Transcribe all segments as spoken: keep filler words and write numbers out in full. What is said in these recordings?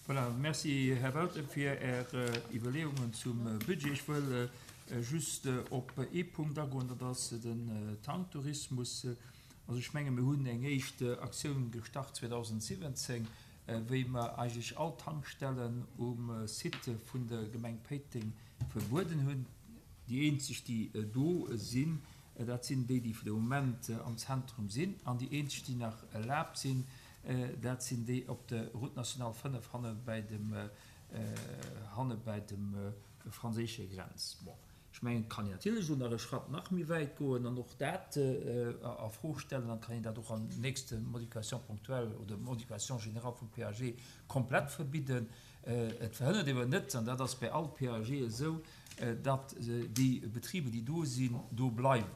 Voilà, merci Här Welter fir Är Iwwerleeungen zum Budget. Ech wëll just op ee Punkt agoen, dat ass den Tanktourismus. Also ech menge mir hunn eng éischt Aktioun gestart zweedausendsiwwenzéng, wéi mer eigentlech all Tankstellen um Site vun der Gemeng Péiteng verbueden hunn. Déi eenzeg, déi do sinn, dat sinn déi, déi fir de Moment am Zentrum sinn, an déi eenzeg, déi nach erlaabt sinn, dat sinn déi op der Route nationale fënnef hanne bäi dem, hanne bäi dem franséische Grenz. Bon, ech mengen, et kann een natierlech elo nach e Schratt nach méi wäit goen an och dat a Fro stellen. Dann kann een dat och an nächste Modification ponctuelle oder Modification générale vum P A G komplett verbidden. Et verhënnert ewer net, an dat ass bei all P A G esou, datt déi Betriber, déi do sinn, do bleiwen.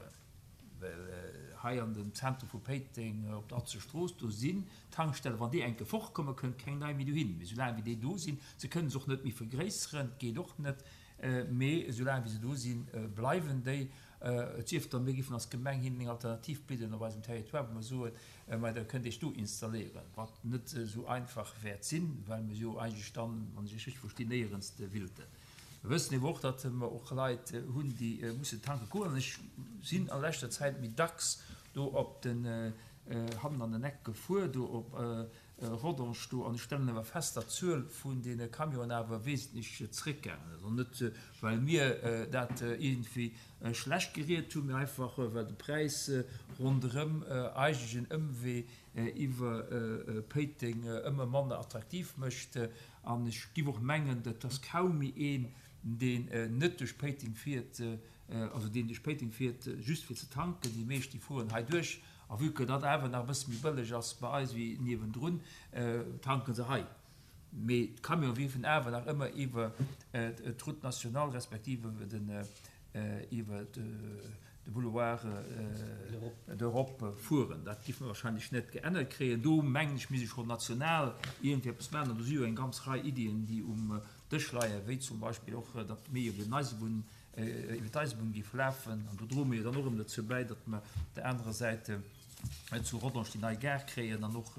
Well hei an dem Zentrum vu Péiteng op der Atzestrooss, do sinn Tankstellen, wann déi enke fortkommen, kënnt keng nei méi dohin. Mee soulaang wéi déi do sinn, se kënnen se och net méi vergréisseren, geet och net, mee soulaang wéi se do sinn, bleiwen déi. Et sief dann, mir géifen als Gemeng hinnen eng Alternativ bidden op eisem Territoire, wou mer soen, ma da kënnt Iech do installéieren, wat net esou einfach wäert sinn, well mir jo eigentlech dann, wann ech Iech richteg verstinn, néierens willten. Mir wëssen ewer och, datt mer och Leit hunn, déi mussen tanke goen. An ech sinn a leschter Zäit méi dacks do op den, hannen an den Eck gefuer, do op Rodange do, an ech stellen awer fest, datt d'Zuel vun deene Camionen awer wesentlech zréckgaangen ass. An net, well mir dat iergendwéi schlecht geriet hunn, mee einfach, well de Präis ronderëm eigentlech en Ëmwee iwwer Péiteng ëmmer manner attraktiv mécht. An ech giff och mengen, et ass kaum méi een, deen net duerch Péiteng fiert, also deen duerch Péiteng fiert just fir ze tanken. Déi meescht, déi fueren hei duerch, a vue que dat awer nach e bësse méi bëlleg ass bei eis wéi niewendrun, tanke se hei. Mee d'Camionen wierfen awer nach ëmmer iwwer d'Route nationale respektiv iwwer den, iwwer de Boulevard d'Europe fueren. Dat géife mer wahrscheinlech net geännert kréien. Do mengen ech, misst ee scho national iergendwéi eppes maachen. An do si jo eng ganz Rei Iddien, déi um Dësch leien, wéi zum Beispill och, datt méi iwwer den Eisebunn, iwwer d'Eisebunn géif lafen. An do droe mir jo dann och erëm dozou bäi, datt mer op der anerer Säit zu Rodange déi nei Gare kréien an och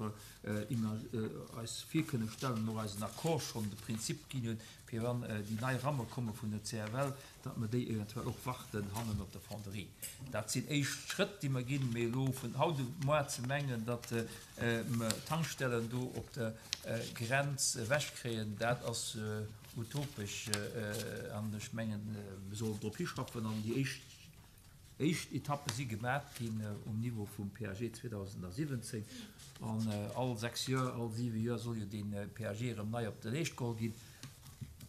eis vir kënne stellen, och eisen Accord schonn de Prinzip ginn hunn, fir wann déi nei Ramme komme vun der C F L, datt mer déi eventuell och warten hannen op der Fonderie. Dat sinn éischt Schrëtt, déi mer ginn, mee elo vun haut op muar ze mengen, datt mer Tankstellen do op der Grenz ewechkréien, dat ass utopesch an ech mengen, mir sollen drop hischaffen an déi éischt éischt Etappe si gemat ginn um Niveau vum P A G zweedausendsiwwenzéng an all sechs Joer, all siwe Joer soll jo dee P A G erëm nei op de Leescht geholl ginn.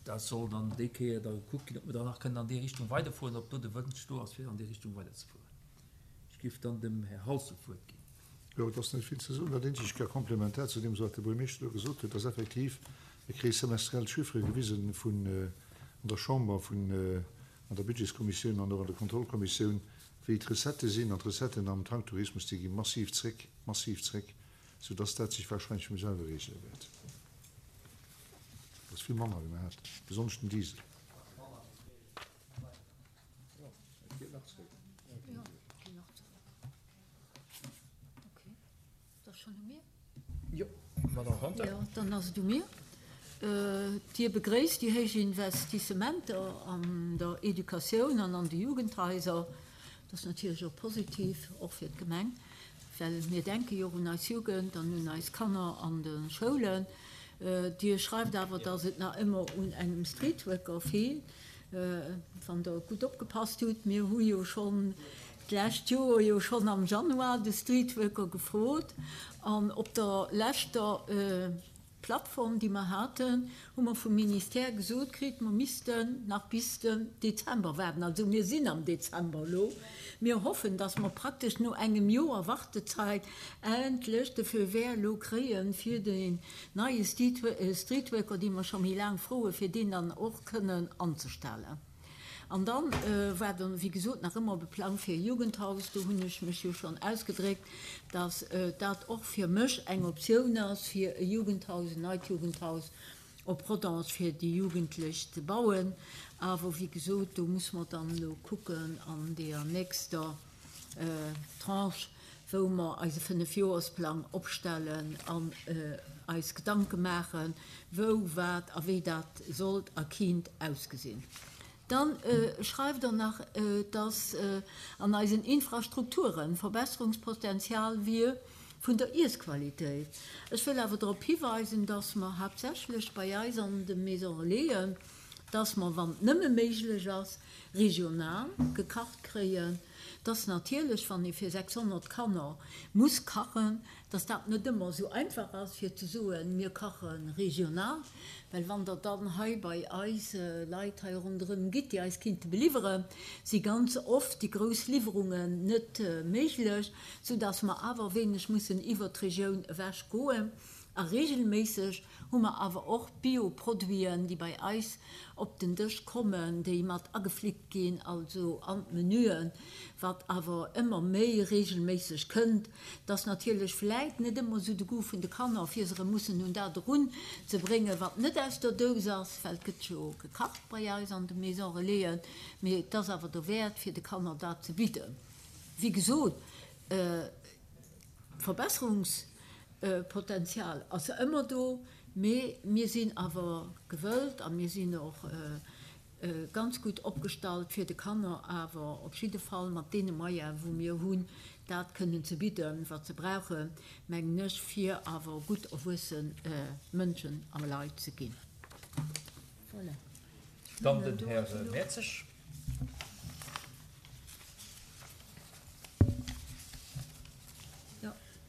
Dat soll dann déi Kéier da gekuckt ginn, ob mer dann nach kënnen an déi Richtung weiderfueren, ob do de Wënsch do ass, fir an déi Richtung weiderzefueren. Ech géif dann dem Här Halse d'Wuert ginn. Jo, et ass net vill ze soen. Dat eenzegt gar komplementär zu deem, wat de Buergermeeschter do gesot huet, ass effektiv, mir kréie semestriell Chiffere gewisen vun an der Chamber, vun an der Budgetskommissioun an och an der Kontrollkommissioun, wéi d'Recettë sinn. An d'Recetten am Tanktourismus, déi gi massiv zréck, massiv zréck, soudass dat sech wahrscheinlech vum selwe regele wäert. Dat ass vill manner, wéi mer haten, besonnesch den Diesel. Jo, et geet nach zréck. Jo, et geet nach zréck. Okay, et ass schonn u mir? Jo, Madame Conter. Jo, dann ass et u mir. Dir begréisst déi héich Investissementer an der Educatioun an an de Jugendhaiser. Dat ass natierlech och positiv, och fir d'Gemeng, well mir denke jo och un eis Jugend an un eis Kanner an de Schoulen. Dir schreift awer, dass et nach ëmmer un engem Streetworker feelt. Wann Der gutt opgepasst hutt, mir hu jo schonn d'lescht Joer, jo schonn am Januar, de Streetworker gefrot an op der leschter Plattform, déi mer haten, hu mer vum Ministère gesot kritt, mer missten nach bis den Dezember waarden. Also mir sinn am Dezember elo. Mir hoffen, dass mer praktesch no engem Joer Wartezeit endlech de Feu vert elo kréien, fir deen neie Streetworker, dee mer scho méi laang froen, fir deen dann och kënnen anzestellen. An dann war dann, wéi gesot, nach ëmmer op e Plang fir e Jugendhaus. Do hunn ech mech jo schonn ausgedréckt, dass dat och fir mech eng Optioun ass, fir e Jugendhaus, en neit Jugendhaus op Rodange fir déi Jugendlech ze bauen. Awer wéi gesot, do muss mer dann elo kucken an deeër nächster Tranche, wou mer eise Fënnefjoersplang opstellen an eis Gedanke maachen, wou, wat a wéi dat sollt a kinnt ausgesinn. Dann schreift Der nach, dass an eisen Infrastrukturen Verbesserungspotenzial wier vun der Iessqualitéit. Ech wëll awer drop hiweisen, dass mer haaptsächlech bei eis an de Maisons Relaisen, dass mer, wann et nëmme méiglech ass, regional gekacht kréien, dass natierlech, wann ee fir sechshonnert Kanner muss kachen, dass dat net ëmmer esou einfach ass, fir ze soen, mir kache regional, well wann Der dann hei bei eis Leit hei ronderëm gitt, déi eis kinnte beliwweren, si ganz oft déi grouss Liwwerungen net méiglech, soudass mer awer e wéineg mussen iwwert d'Regioun ewech goen. A regelméisseg hu mer awer och Bio-Produiten, déi bei eis op den Dësch kommen, déi mat ageflickt ginn, also an d'Menüen, wat awer ëmmer méi regelméisseg kënnt. Et ass natierlech vläit net ëmmer esou de Goût vun de Kanner, fir se erëm mussen un dat erun ze bréngen, wat net aus der Dous ass, well et gëtt jo gekacht bei eis an de Maison Relaisen, mee et ass awer dowäert, fir de Kanner dat ze bidden. Wéi gesot, Verbesserungs. Potential ass ëmmer do, mee mir sinn awer gewëllt a mir sinn och ganz gutt opgestallt, fir de Kanner awer op jidde Fall mat deene Moyene wou mir hunn, dat kënnen ze bidden, wat se brauchen, mengen ech, fir awer gutt erwuesse Mënschen a Leit ze ginn. Voilà. Dann den Här Mertzig.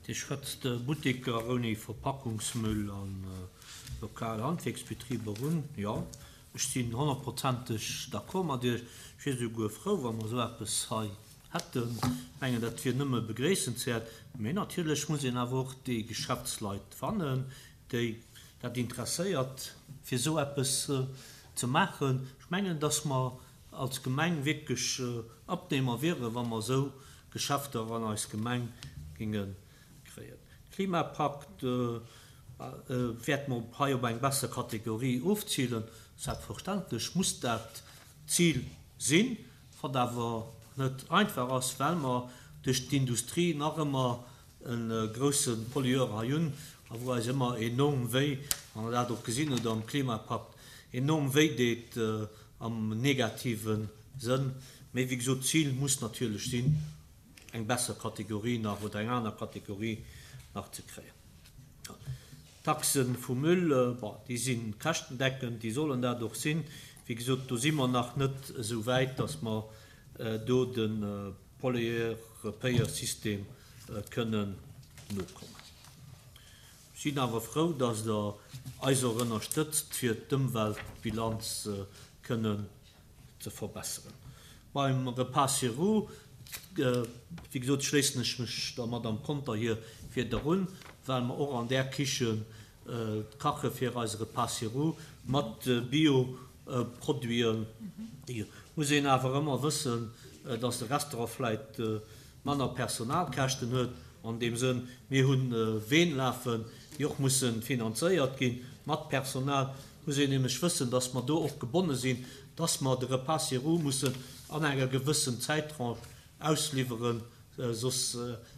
Dir schwätzt Butteker ouni Verpackungsmüll a lokal Handwierksbetriber un. Jo, ech sinn honnertprozenteg d'accord mat Iech. Ech wier esouguer frou, wa mer esou eppes hei hätten. Ech mengen, dat wier nëmme begréissenswäert. Mee natierlech muss een awer och déi Geschäftsleit fannen, déi dat interesséiert, fir esou eppes ze maachen. Ech mengen, dass mer als Gemeng wierklech Abnehmer wieren, wa mer esou Geschäfter an eis Gemeng géinge kréien. Klimapakt wäerte mer hei op eng besser Kategorie ofzilen. Selbstverständlech muss dat d'Zil sinn, wat awer net einfach ass, well mer duerch d'Industrie nach ëmmer e grousse Pollueur hei hunn a wou eis ëmmer enorm wéi, wann Der dat och gesinn hutt am Klimapakt, enorm wéi deet am negative Sënn. Mee wéi gesot, d'Zil muss natierlech sinn, eng besser Kategorie nach oder eng aner Kategorie nach ze kréien. D'Taxe vum Müll, bon, déi si käschtendeckend, déi sollen dat och sinn. Wéi gesot, do si mer nach net esou wäit, datt mer do de Pollueur-Payeur-System kënnen nokommen. Ech sinn awer frou, datt Der eis och ënnerstëtzt, fir d'Ëmweltbilanz kënnen ze verbesseren. Beim Repas sur roues, wéi gesot, schléissen ech mech der Madame Conter hir Wieder un, well mer och an där Kichen kache fir eise Repas sur roues mat Bio-Produiten. Muss een awer ëmmer wëssen, dass de Restaurant vläit manner Personalkäschten huet an deem Sënn. Mir hu Ween lafen, déi och musse finanzéiert gi mat Personal. Muss een nämlech wëssen, dass mer do och gebonne sinn, dass mer de Repas sur roues mussen an enger gewëssen Zäittranche ausliwweren, soss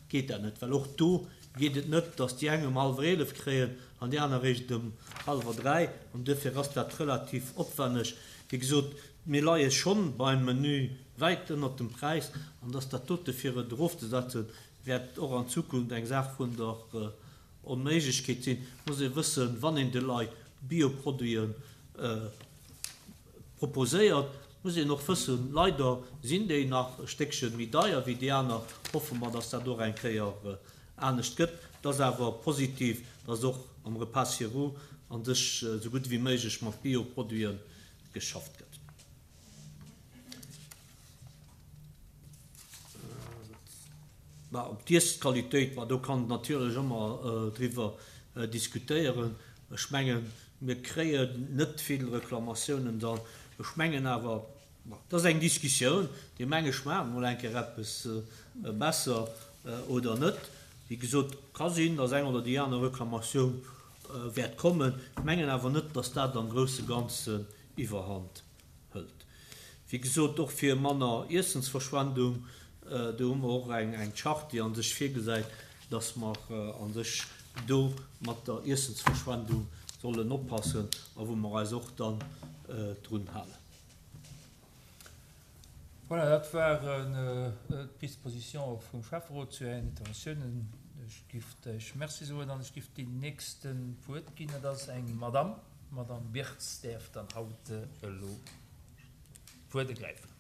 geet dat net. Well och do geet et net, dass déi eng um hallwer eelef kréien an déi aner eréischt um hallwer dräi. An duerfir ass dat relativ opwenneg. Wéi gesot, mir leie schonn beim Menü wäit ënnert dem Präis, an dass dat dote fir et erofzesetzen, wäert och an Zukunft eng Saach vun der Onméiglechkeet sinn. Muss ee wëssen, wann een de Leit Bioproduiten proposéiert, muss een och wëssen, leider sinn déi nach e Stéckchen méi deier wéi déi aner. Hoffe mer, dass dat och eng Kéier anescht gëtt. Et ass awer positiv, dass och am Repas sur roues an sech esou gutt wéi méiglech mat Bioproduiten geschafft gëtt. Bah, op d'Iessqualitéit, bah, do kann natierlech ëmmer driwwer diskutéieren. Ech mengen, mir kréien net vill Reklamatiounen dann. Ech mengen awer, bah, dat ass eng Diskussioun, déi meng ech maachen emol eng Kéier eppes besser oder net. Wéi gesot, ka sinn, datt eng oder déi aner Reklamatioun wäert kommen. Ech mengen awer net, datt dat am grousse Ganzen iwwerhand hëlt. Wéi gesot, och fir manner Iessensverschwendung Do hu mer och eng Charte, déi a sech virgesäit, dass mer a sech do mat der Iessensverschwendung sollen oppassen a wou mer eis och dann drun halen. Voilà, dat waren d'Disposition vum Schäfferot zu Ären Interventiounen. Ech giff Iech Merci soen an ech giff deem Nächsten d'Wuert ginn. Dat ass eng Madamm. D'Madamm Birtz däerf dann haut elo d'Wuert ergräifen.